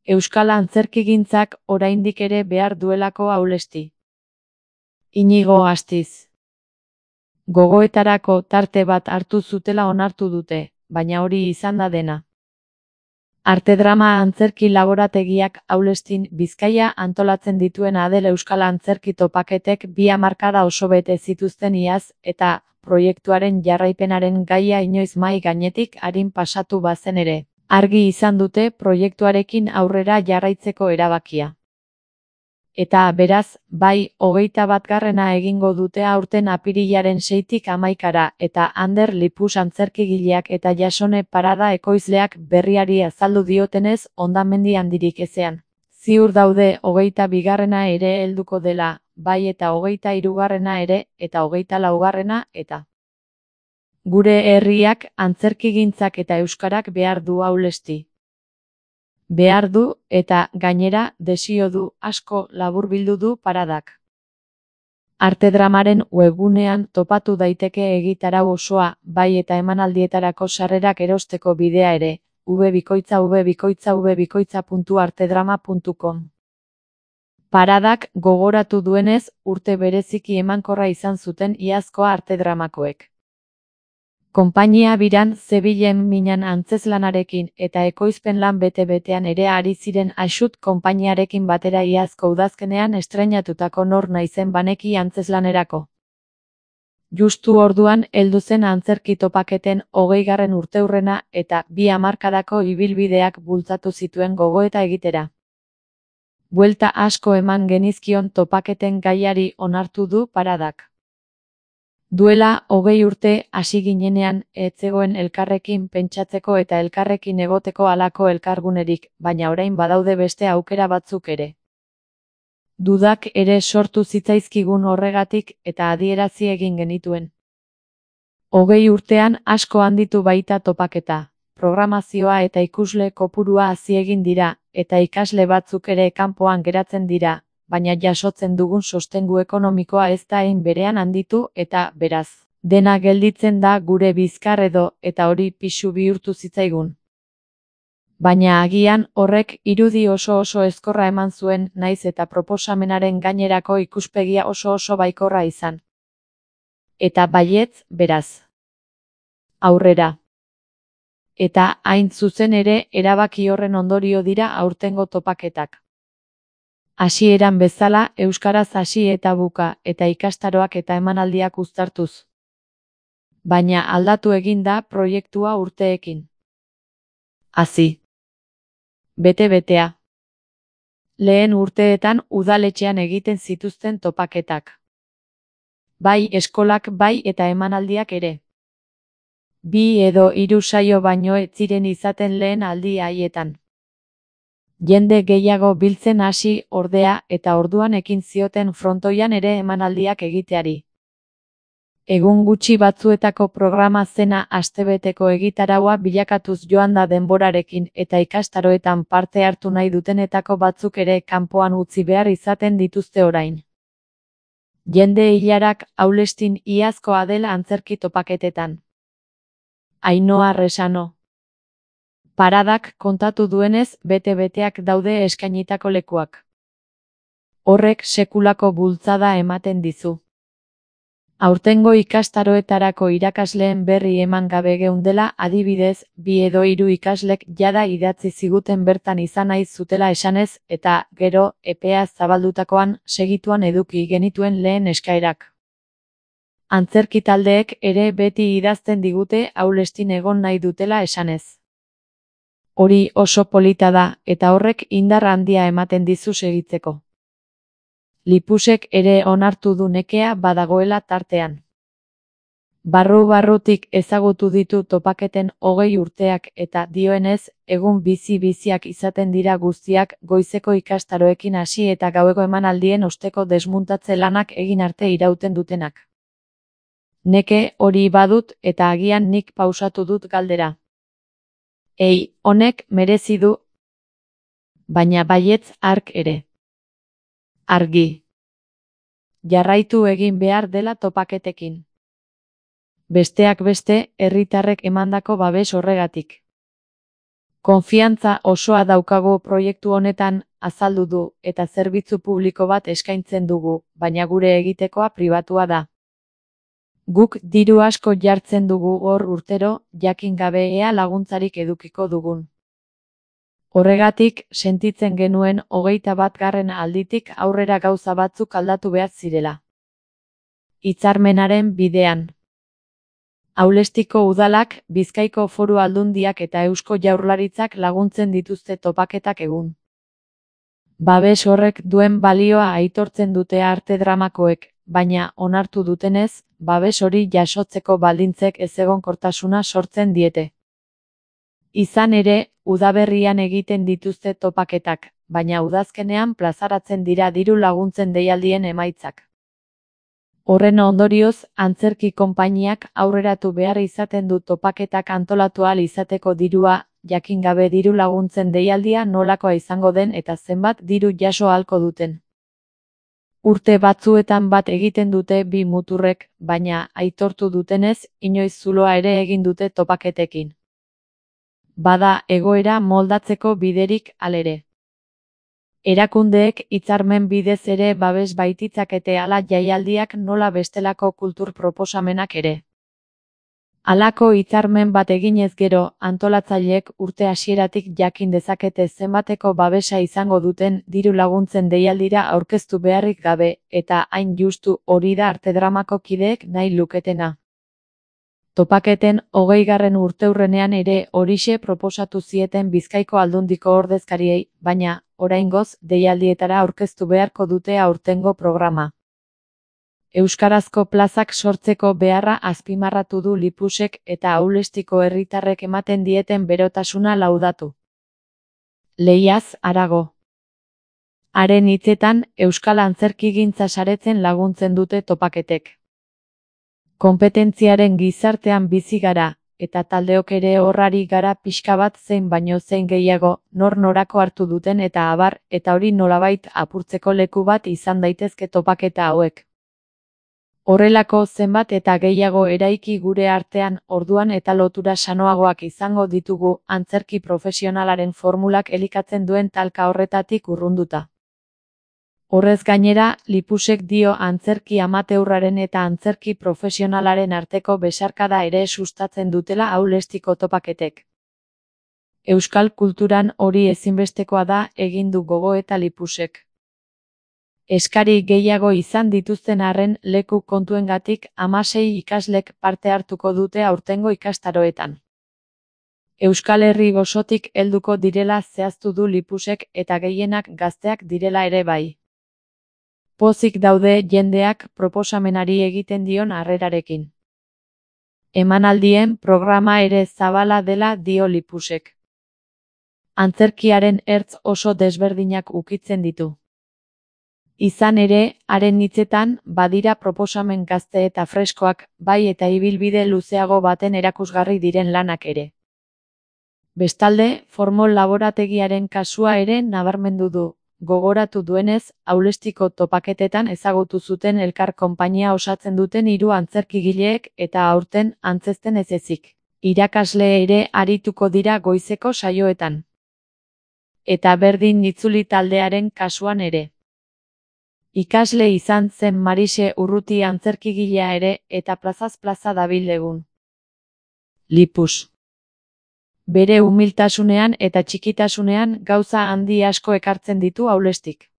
Euskal antzerkigintzak oraindik ere behar duelako Aulesti. Inigo Astiz. Gogoetarako tarte bat hartu zutela onartu dute, baina hori izan da dena. Artedrama antzerki laborategiak Aulestin Bizkaia antolatzen dituen Adel Euskal Antzerki topaketek 2 hamarkada oso bete zituzten iaz eta proiektuaren jarraipenaren gaia inoiz mahai gainetik arin pasatu bazen ere, argi izan dute proiektuarekin aurrera jarraitzeko erabakia. Eta beraz, bai, 21. egingo dute aurten apirilaren 6tik 11 eta Ander Lipus antzerkigileak eta Jasone Parada ekoizleak berriari azaldu diotenez hondamendi handirik ezean. Ziur daude 22. ere helduko dela, bai eta 23. ere, eta 24. eta. Gure herriak, antzerkigintzak eta euskarak behar du Aulesti. Behar du, eta gainera, desio du, asko laburbildu du Paradak. Artedramaren webgunean topatu daiteke egitarau osoa, bai eta emanaldietarako sarrerak erosteko bidea ere, www.artedrama.com. Paradak gogoratu duenez, urte bereziki emankorra izan zuten iazkoa Artedramakoek. Konpainia biran zebilen minan antzeslanarekin eta ekoizpen lan bete-betean ere ari ziren Axut konpainiarekin batera iazko udazkenean estreinatutako Nor naizen baneki antzeslanerako. Justu orduan heldu zen antzerki topaketen 20. urteurrena eta 2 hamarkadako ibilbideak bultzatu zituen gogoeta egitera. Buelta asko eman genizkion topaketen gaiari onartu du Paradak. Duela 20 urte hasi ginenean ez zegoen elkarrekin pentsatzeko eta elkarrekin egoteko halako elkargunerik, baina orain badaude beste aukera batzuk ere. Dudak ere sortu zitzaizkigun horregatik eta adierazi egin genituen. 20 urtean asko handitu baita topaketa, programazioa eta ikusle kopurua hazi egin dira, eta ikasle batzuk ere kanpoan geratzen dira, baina jasotzen dugun sostengu ekonomikoa ez da hein berean handitu eta, beraz, dena gelditzen da gure bizkar edo eta hori pisu bihurtu zitzaigun. Baina agian horrek irudi oso ezkorra eman zuen naiz eta proposamenaren gainerako ikuspegia oso baikorra izan. Eta baietz, beraz. Aurrera. Eta hain zuzen ere erabaki horren ondorio dira aurtengo topaketak. Hasieran bezala euskaraz hasi eta buka eta ikastaroak eta emanaldiak uztartuz. Baina aldatu egin da proiektua urteekin. Hazi. Bete-betea. Lehen urteetan udaletxean egiten zituzten topaketak. Bai eskolak bai eta emanaldiak ere. 2 edo 3 saio baino ez ziren izaten lehen aldi haietan. Jende gehiago biltzen hasi ordea eta orduan ekin zioten frontoian ere emanaldiak egiteari. Egun gutxi batzuetako programa zena astebeteko egitaraua bilakatuz joan da denborarekin eta ikastaroetan parte hartu nahi dutenetako batzuk ere kanpoan utzi behar izaten dituzte orain. Jende ilarak Aulestin iazkoa dela antzerki topaketetan. Ainhoa Resano. Paradak kontatu duenez bete-beteak daude eskainitako lekuak. Horrek sekulako bultzada ematen dizu. Aurtengo ikastaroetarako irakasleen berri eman gabe geundela adibidez 2 edo 3 ikaslek jada idatzi ziguten bertan izan nahi zutela esanez eta gero epea zabaldutakoan segituan eduki genituen lehen eskaerak. Antzerki taldeek ere beti idazten digute Aulestin egon nahi dutela esanez. Hori oso polita da eta horrek indar handia ematen dizu segitzeko. Lipusek ere onartu du nekea badagoela tartean. Barru-barrutik ezagutu ditu topaketen 20 urteak eta dioenez, egun bizi-biziak izaten dira guztiak goizeko ikastaroekin hasi eta gaueko emanaldien osteko desmuntatze lanak egin arte irauten dutenak. Neke hori badut eta agian nik pausatu dut galdera. Honek merezi du. Baina baietz hark ere. Argi. Jarraitu egin behar dela topaketekin. Besteak beste, herritarrek emandako babes horregatik. Konfiantza osoa daukagu proiektu honetan, azaldu du, eta zerbitzu publiko bat eskaintzen dugu, baina gure egitekoa pribatua da. Guk diru asko jartzen dugu hor urtero, jakin gabe ea laguntzarik edukiko dugun. Horregatik, sentitzen genuen 21. alditik aurrera gauza batzuk aldatu behar zirela. Hitzarmenaren bidean. Aulestiko udalak, Bizkaiko Foru Aldundiak eta Eusko Jaurlaritzak laguntzen dituzte topaketak egun. Babes horrek duen balioa aitortzen dute arte dramakoek, baina onartu dutenez, babes hori jasotzeko baldintzek ezegonkortasuna sortzen diete. Izan ere, udaberrian egiten dituzte topaketak, baina udazkenean plazaratzen dira diru laguntzen deialdien emaitzak. Horren ondorioz, antzerki konpainiak aurreratu behar izaten du topaketak antolatu ahal izateko dirua, jakin gabe diru laguntzen deialdia nolakoa izango den eta zenbat diru jaso ahalko duten. Urte batzuetan bat egiten dute bi muturrek, baina aitortu dutenez, inoiz zuloa ere egin dute topaketekin. Bada egoera moldatzeko biderik halere. Erakundeek hitzarmen bidez ere babes baititzakete hala jaialdiak nola bestelako kultur proposamenak ere. Halako hitzarmen bat eginez gero, antolatzaileek urte hasieratik jakin dezakete zenbateko babesa izango duten diru laguntzen deialdira aurkeztu beharrik gabe, eta hain justu hori da arte dramako kideek nahi luketena. Topaketen 20. urteurrenean ere horixe proposatu zieten Bizkaiko Aldundiko ordezkariei, baina, oraingoz, deialdietara aurkeztu beharko dute aurtengo programa. Euskarazko plazak sortzeko beharra azpimarratu du Lipusek eta Aulestiko herritarrek ematen dieten berotasuna laudatu. Lehiaz harago. Haren hitzetan, euskal antzerkigintza saretzen laguntzen dute topaketek. Konpetentziaren gizartean bizi gara, eta taldeok ere horrari gara pixka bat zein baino zein gehiago, nor norako hartu duten eta abar, eta hori nolabait apurtzeko leku bat izan daitezke topaketa hauek. Horrelako zenbat eta gehiago eraiki gure artean, orduan eta lotura sanoagoak izango ditugu, antzerki profesionalaren formulak elikatzen duen talka horretatik urrunduta. Horrez gainera, Lipusek dio antzerki amateurraren eta antzerki profesionalaren arteko besarkada ere sustatzen dutela Aulestiko topaketek. Euskal kulturan hori ezinbestekoa da, egin du gogoeta Lipusek. Eskari gehiago izan dituzten arren leku kontuengatik 16 ikaslek parte hartuko dute aurtengo ikastaroetan. Euskal Herri osotik helduko direla zehaztu du Lipusek eta gehienak gazteak direla ere bai. Pozik daude jendeak proposamenari egiten dion harrerarekin. Emanaldien programa ere zabala dela dio Lipusek. Antzerkiaren ertz oso desberdinak ukitzen ditu. Izan ere, haren hitzetan, badira proposamen gazte eta freskoak, bai eta ibilbide luzeago baten erakusgarri diren lanak ere. Bestalde, formol laborategiaren kasua ere nabarmendu du. Gogoratu duenez, Aulestiko topaketetan ezagutu zuten elkar konpainia osatzen duten 3 antzerkigileek eta aurten antzezten ez ezik. Irakasle ere arituko dira goizeko saioetan. Eta berdin itzuli taldearen kasuan ere. Ikasle izan zen Marise Urruti antzerkigilea ere eta plazaz plaza dabil egun. Lipus. Bere umiltasunean eta txikitasunean gauza handi asko ekartzen ditu Aulestik.